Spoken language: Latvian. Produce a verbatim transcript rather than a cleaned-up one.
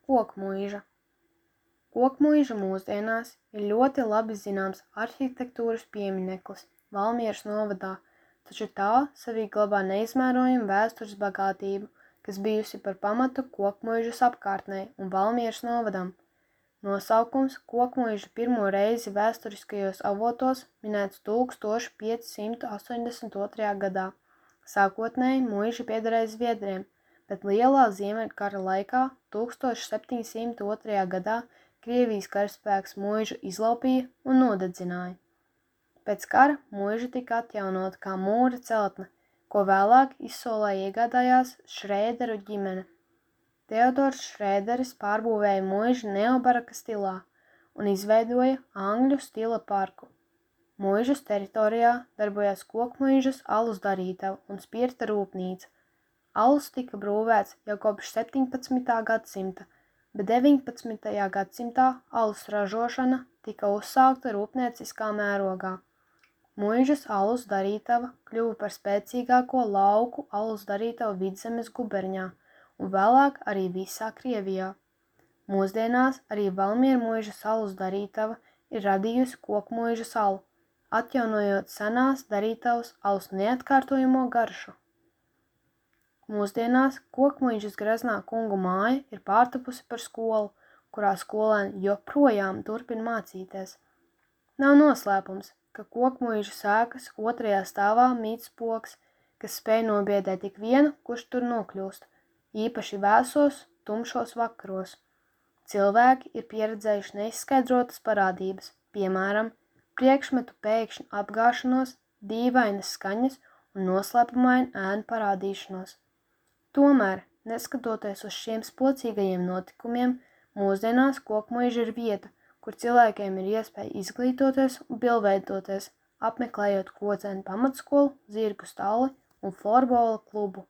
Kokmuiža. Kokmuiža mūsdienās ir ļoti labi zināms arhitektūras piemineklis Valmieras novadā, taču tā sevī glabā neizmērojamu vēstures bagātību, kas bijusi par pamatu Kokmuižas apkārtnei un Valmieras novadam. Nosaukums Kokmuiža pirmo reizi vēsturiskajos avotos minēts tūkstoš pieci simti astoņdesmit otrajā gadā. Sākotnēji muiža piederēja Zviedriem, bet Lielā Ziemeļkara laikā tūkstoš septiņi simti otrajā gadā Krievijas karaspēks muižu izlaupīja un nodedzināja. Pēc kara muiža tika atjaunota kā mūra celtne, ko vēlāk izsolē iegādājās Šrēderu ģimene. Teodors Šrēderis pārbūvēja muižu neobaraka stilā un izveidoja angļu stila parku. Muižas teritorijā darbojās Kokmuižas alus darītava un spirta rūpnīca. Alus tika brūvēts jau kopš septiņpadsmitā gadsimta, bet deviņpadsmitajā gadsimtā alus ražošana tika uzsākta rūpnieciskā mērogā. Muižas alus darītava kļuva par spēcīgāko lauku alus darītavu Vidzemes guberņā un vēlāk arī visā Krievijā. Mūsdienās arī Valmiera muižas alus darītava ir radījusi Kokmuižas alu, atjaunojot senās darītavas alus neatkārtojamo garšu. Mūsdienās Kokmuižas Graznā kungu māja ir pārtapusi par skolu, kurā skolēni joprojām turpina mācīties. Nav noslēpums, ka Kokmuiža sēkas otrajā stāvā mīt spoks, kas spēj nobiedēt ik vienu, kurš tur nokļūst, īpaši vēsos, tumšos vakaros. Cilvēki ir pieredzējuši neizskaidrotas parādības, piemēram, priekšmetu pēkšņu apgāšanos, dīvainas skaņas un noslēpumainu ēnu parādīšanos. Tomēr, neskatoties uz šiem spocīgajiem notikumiem, mūsdienās Kokmuiža ir vieta, kur cilvēkiem ir iespēja izglītoties un pilnveidoties, apmeklējot Kodzēnu pamatskolu, zirgu stalli un florbola klubu.